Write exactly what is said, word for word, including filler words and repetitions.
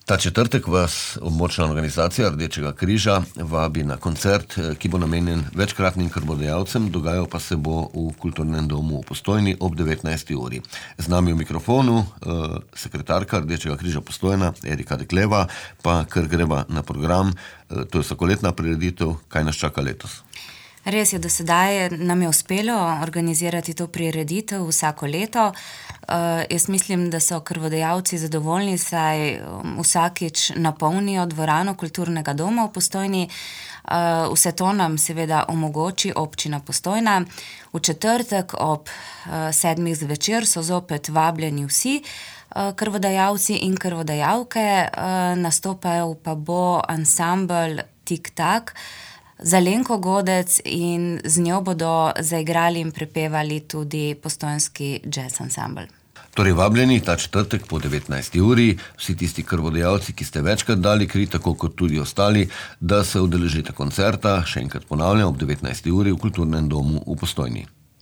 Ta četrtek vas območna organizacija Rdečega križa vabi na koncert, ki bo namenjen večkratnim krvodajalcem, dogajal pa se bo v Kulturnem domu v Postojni ob devetnajsti uri. Z nami v mikrofonu eh, sekretarka Rdečega križa Postojna, Erika Dekleva, pa kar greva na program. Eh, to je vsakoletna prireditev, kaj nas čaka letos? Res je, do sedaj nam je uspelo organizirati to prireditev vsako leto. Uh, jaz mislim, da so krvodajalci zadovoljni, saj um, vsakič napolnijo dvorano Kulturnega doma v Postojni. Uh, vse to nam seveda omogoči občina Postojna. V četrtek ob uh, sedmih zvečer so zopet vabljeni vsi uh, krvodajalci in krvodajalke. Uh, nastopal pa bo ansambel Tik-tak z Alenko Godec in z njo bodo zaigrali in prepevali tudi postojnski jazz ansambel. Torej vabljeni ta četrtek po devetnajsti uri, vsi tisti krvodajalci, ki ste večkrat dali kri, tako kot tudi ostali, da se udeležite koncerta, še enkrat ponavljam, ob devetnajsti uri v Kulturnem domu v Postojni.